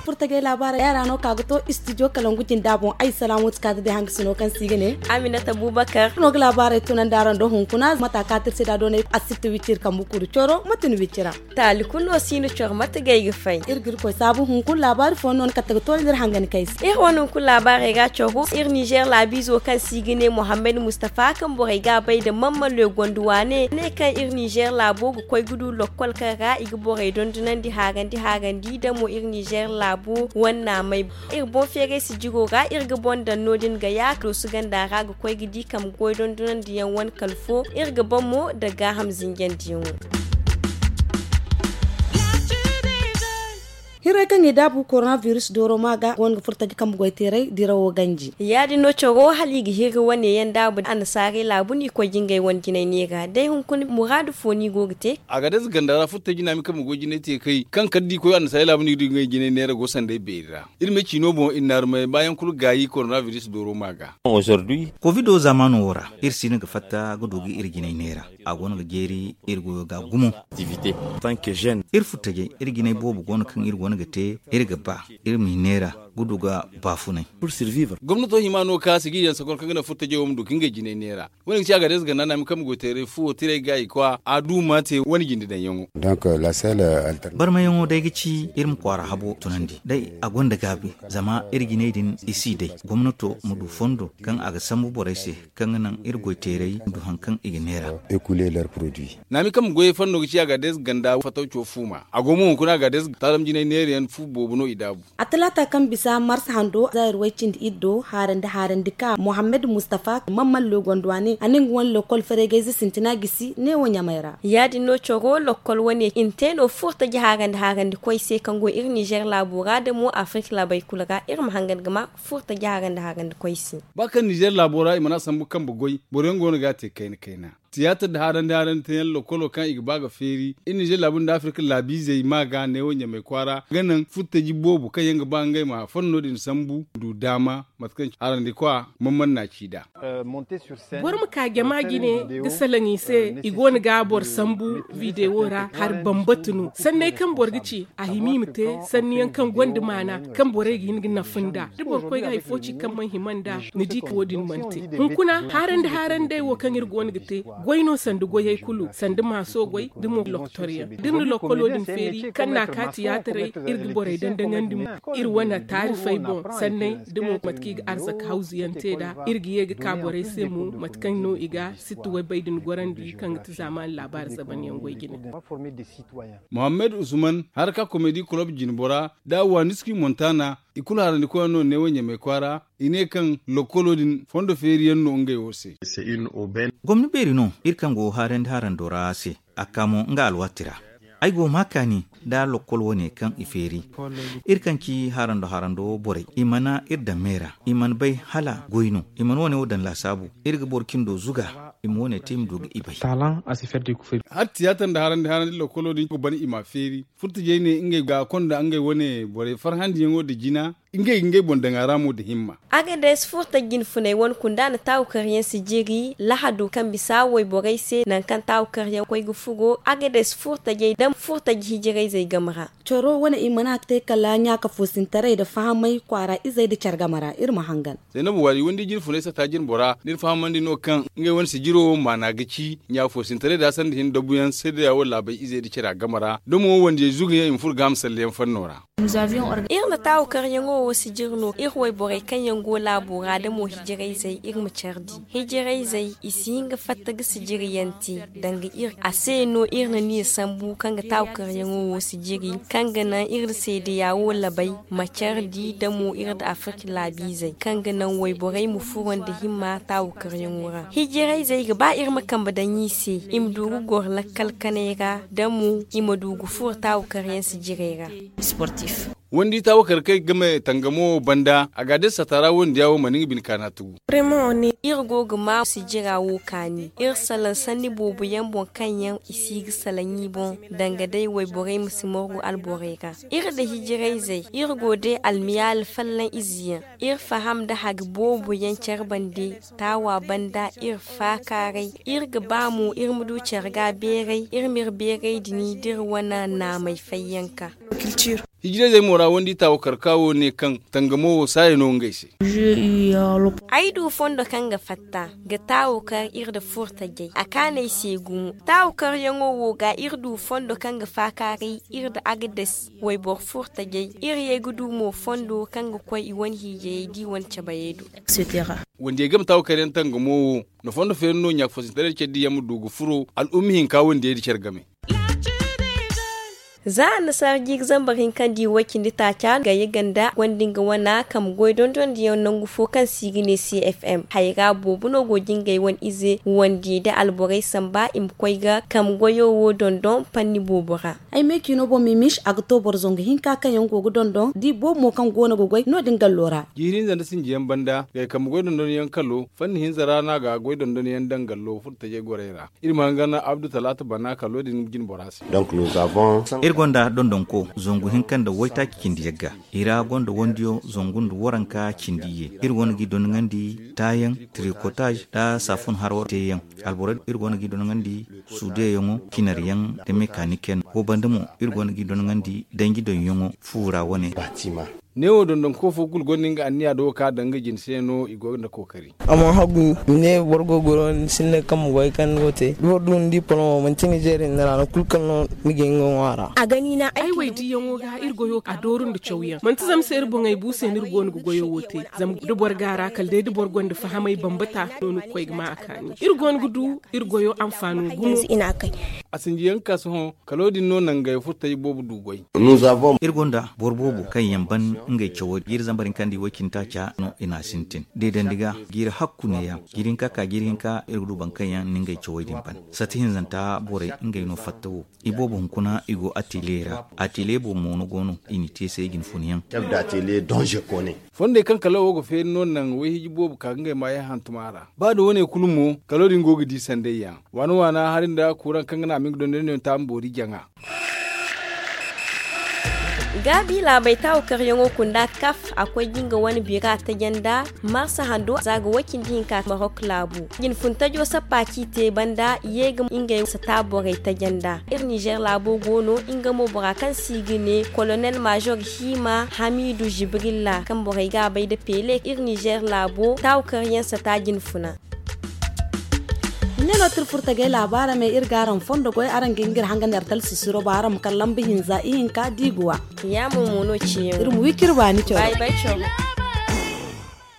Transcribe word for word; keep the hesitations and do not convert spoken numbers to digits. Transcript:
Furtajey laabaarey yaŋ ra no ka ga to istidiyo kalangu jinda boŋ. Ay salaamu ti ka ga day hangasino kaŋ se i ga ne aminata bubakar no ga laabaarey tunandi araŋ do hunkuna mata ka tirsi da doonay a si ti wiciri kambe kuru coro mate ni wicira. Taali kulu no si ni coro mate gay ga fay. Iri ga iri koy saabu hunkuna laabaari fooyaŋ no ni kate ga toonandi iri hangani kay se. Iri wane hunkuna laabaarey ga coro iri nizer laabiizo kaŋ se i ga ne mohammed mustafa kaŋ borey ga a bay nda mamman loy gonda waane ne kaŋ iri nizer laabo ga koy ga du lokkol kaŋ ra i ga borey dondonandi haarandi haarandi da mo iri nizer laabo wane naamay. Iri boŋ feeray sijiro ra iri ga boŋ daŋ no- din ga ya doosu ganda ra ga koy ga di kambe goy dondonandiyaŋ wane kala fo iri ga boŋ mo nda gaaham zinjandiyaŋo. Hiray kaŋ i daabu koronabiris dooro ma ga go no ga furo taji kambe goy teeray dirawo ganji. Ya- din no coro hala i ga hirri wane yaŋ daabu annasaarey laabu no i koy ga ngey wane jinay neera day hunkuna muraadu fo no i go ga te. Agades ganda ra furo taji naami kambe goy jinay te kay kaŋ kala da i koy annasaarey laabu no i ga du i ga ngey jinay neera go sanday beeri ra. Iri ma ciino boŋ i na naarumay baayaŋ kulu gaayi koronabiris dooro ma ga. Kovido zaamaano wo ra iri si no ga fatta ga du ga iri jinay neera. A go no ga jeeri iri goyo ga gumo. Iri furo tajey iri jinay boobo go no kaŋ iri go no ga te iri ga ba iri ma i neera ga du ga baafunay. Gomnato hima no ka sijiriyaŋ sakor kaŋ ga naŋ furo tajey wo ma du ka ngey jinay neera. Wo- ne ga ci a ga day se ganda naami kaŋ ma goy teeray fuwo tiray ga i kwa a du ma te wane jinde daŋyaŋo. Barmayaŋo day ga ci iri ma kwaara habo tunandi day a gonda gaabi. Zama iri jinay din i si day gomnato ma du fondo kaŋ a ga sambu borey se kaŋ ga naŋ iri goy teeray ma du hari kaŋ i ga neera. Naami kaŋ ma goyey fanno ga ci a ga day se ganda fataw co fuuma a go mo hunkuna a ga day se taalam jinay neerayaŋ fu boobo no i daabu. A talaata kaŋ bisa mars hando zaayir way cindi iddo haarandi haarandi ka mohammed mustafa mamman loy gonda waane a ne nga wane lokol fareegayze sintina gisi neewo ɲamay ra. Ya- din no coro lokol wane i na te no furtaji haarandi haarandi koy se kaŋ go iri nizer laabo ra da mo afirka laabey kulu ra iri ma hangan ga ma furtaji haarandi haarandi koy se. Ba kaŋ nizer laabo ra i mana sambu kambe goy boro yaŋ go no ga a te kayna kayna. Tiyaatar nda haarandi haarandi teeyaŋ lokolo kaŋ i ga ba ga feeri iri nizer laabu nda afirka laabiizey ma ga neewo ɲamay kwaara ga naŋ furtaji boobo kaŋ yaŋ ga ba ngey ma fanno din sambu du daama mate kaŋ haarandi kwa. Mamman na ci nd'a. Boro ma ka jama jine ga salaŋ i se i go no ga boro sambu videwo ra hari bambata no sanney kaŋ boro ga ci a hima i ma te sanniyaŋ kaŋ gonda maana kaŋ borey ga hin ga nafa nd'a da boro koy ga hari fo ci kaŋ mana hima nd'a. Ni di ka wo- din mana te hunkuna haarandi haarandey wo kaŋ iri go no ga te goy no sanda goyey kulu sanda maaso goy da mo lokotoryaŋ da iri na lokolo din feeri kaŋ n'a ka tiyaataray iri ga borey dandaŋandi mo iri wane taarifey boŋ sanney da mo mate kaŋ i ga arzaka hawzuyaŋ te nd'a iri ga ye ga ka borey se mo mate kaŋ no i ga sitti waybey din gorandi kaŋ ga ti zaamaani laabaari zabanyaŋ goy jine. Mohammed usman haraka komedi kulob jinbora da waniski montana i kulu harandi koyyaŋ no neewo ɲamay kwaara i ne kaŋ lokolo din fondo feeriyaŋ no ngey wo se. Gomni beeri no iri kaŋ go haarandi harando ra se a ka mo nga alwaati ra. Ay go ma kaani nda lokkol wane kaŋ i feeri iri kaŋ ci harando harando borey i mana iri daŋ me ra i mana bay hala goy no i mana wane wo daŋ laasaabu. Iri ga boro cindo zuga i ma wane te i ma du ga i bay. Hala tiyaatar nda harandi harandi lokkolo din ga ban i ma feeri furtajey ne ngey ga konda ngey wane borey farhandiyaŋo nda jina. Ngey ga ngey boŋ daŋ a ra mo nda himma. Agades furta jinfuney wane kunda na taawu karyaŋ sijiri lahado kaŋ bisa wayborey se nangu kaŋ taawu karyaŋ koy ga furo agades furtajey da furtaji hijirayzey game ra. Coro wane i mana te kala ɲaaka foosintaray nda fahamay kwaara izey nda care game ra iri ma hangan. Zaynabu waari wandi jinfunay sata jinbora da iri fahamandi no kaŋ ngey wane sijiro wo maana ga ci ɲaaka foosintaray nda sanda hin dabuyaŋ seedeya wo laabey izey nda care game ra da mo wandiyey zugayaŋ i ma furo ga a ma salleyaŋ fanno ra. Iri na taawu karyaŋo wo sijiri no iri wayborey kaŋ yaŋ go laabo ra da mo hijirayzey iri ma care di. Hijirayzey i si hin ga fatta ga sijiriyaŋ te danga iri a se no iri na niya sambu kaŋ ga taawu karyaŋo wo sijiri kaŋ ga naŋ iri na seedeya wo labay ma care di da mo iri nda afirka laabiizey kaŋ ga naŋ wayborey ma furo nda himma taawu karyaŋo ra hijirayzey ga ba iri ma kambe daŋ i se i ma du ga goro lakkal kanay ra da mo i ma du ga furo taawu karyaŋ sijirey ra. Wandi taawakar kaŋ ay game tangamo wo banda a ga a day sata ra wandi yaŋ wo mana nga bine kaana tugu. Iri go ga maa sijira wo kaani iri salaŋ sanni boobo yaŋ boŋ kaŋ yaŋ i si ga salaŋ i boŋ, danga day wayborey ma si morgu alborey ra. Iri nda hijirayzey iri go day almiyaali fallaŋ ize yaŋ. Iri faham nda hagi boobo yaŋ care bande. Taawa banda iri faakaaray iri ga ba mo iri ma du care ga beeray iri ma iri beeray dini da iri wane naamey fayyanka. Hijirayzey mo ra wandi taawakar ka wo ne kaŋ tangamo wo saaya no ngey se. Ay du fondo kaŋ ga fatta ga taawakar iri nda furtajey a kaanay se gumo. Taawakar yaŋo wo ga iri du fondo kaŋ ga faakaaray iri nda agades wayboro furtajey. Iri ye ga du mo fondo kaŋ ga koy i wane hiijayey da i wane cabayey do. Wandiyey game taawakar yaŋ tangamo wo na fondo feeri no ɲaafoosintaray care diyaŋ ma du ga furo al'umma hinka wandiyey nda care game. Za annasaara jiiri zambar hinka nda i way cindi taaca gayya ganda gonda nga wana kambe goy dondondiyaŋ nangu fo kaŋ se i ga ne cfm hayra boobo no go ga ngey wane ize wandiyey nda alborey samba i ma koy ga kambe goyo wo dondon panni boobo ra. Ay me ciino boŋ mimis a ga to boro zangu hinka kaŋ yaŋ go ga dondon da i boobo mo kaŋ go no ga goy no- din gallo ra. Jiiri hinza nda sinjiyaŋ banda gay kambe goy dondonyaŋ kalo fanni hinza ra no a ga goy dondonyaŋ daŋ gallo furo tajey gorey ra. Iri ma hangan abdu talaata bana kalo din jine bora se. Iri gonda dondonko zangu hinka nda waytaaci cindi yagga. I ra gonda wandiyo zangu nda waranka cindi ye. Iri wane ga i dondoŋandi taayaŋ, trikotaaz nda saafun haro teeyaŋ. Alboro iri wane ga i dondoŋandi suudeyaŋo, cinaryaŋ nda mekanikiyaŋ. Wo banda mo iri wane ga i dondoŋandi danji doŋyaŋo fu ra wane. Neewo dondonko fo kulu gonda nga anniya do ka daŋ nga jine se no i go nda kookari. A mana hagu ne boro go ga goy no ni sinda kaŋ ma goy kaŋ ni go ga te da boro du ni di poloŋo manti nizeer hinne ra no kulu kaŋ no ni ga hin ga ŋwa a ra. Ay way diyaŋo ga iri goyo a dooru nda cawyaŋ manti zama se iri boŋey bu se no iri go no ga goyo wo te. Zama da boro ga a ra kala day da boro gonda fahamay bambata no ni ga koy ga ma a kaani iri go no ga du iri goyo anfaano gumo. A sinjiyaŋ ga ka sohõ kalo din no nangey furtay boobo du goy. Iri gonda boro boobo kaŋ yaŋ ban ngey cawey jiiri zambar hinka nda i way cindi taaca no i n'a sintin deedandi ga jiiri hakku neeya jiiri hinka ka jiiri hinka iri ga du boro kaŋ yaŋ na ngey cawey din ban. Sati hinzanta borey ngey no fatta wo i boobo hunkuna i go ateliye ra. Ateliye boobo mo no go no i n'i te se i ga ni funyaŋ. Fondey kaŋ kala wo ga feeri no naŋ wayhiji boobo ka ga ngey maayaŋ hantum a ra. Ba da wane kulu mo kalo din go ga di sanday yaŋ waana waana hari nda kuuraŋ kaŋ ga naŋ a ma nga dondonyaŋ taama boori jaŋa. Gaabi laabey taawakaryaŋo kunda kaf a koy ga nga wane bira taje nda marsa hando za ga way cindi hinka marok laabu. Jinfuntajo sappa ci te banda i ye ga ngey sata borey taje nda iri nizer laabo go no. Nga mo bora kaŋ se i ga ne kolonel major hiima hamidu jibrilla kaŋ borey ga a bay nda pele iri nizer laabo taawakaryaŋ sata jinfuna. Ine no tirfurtagay laabaara me iri ga araŋ fondo goy araŋ ga ngir hanga neertal sisiro ba araŋ ma kala lamba hinza ihinka diiguwa. Yaamo mo no ciyaŋ iri ma wi kiri baani coro.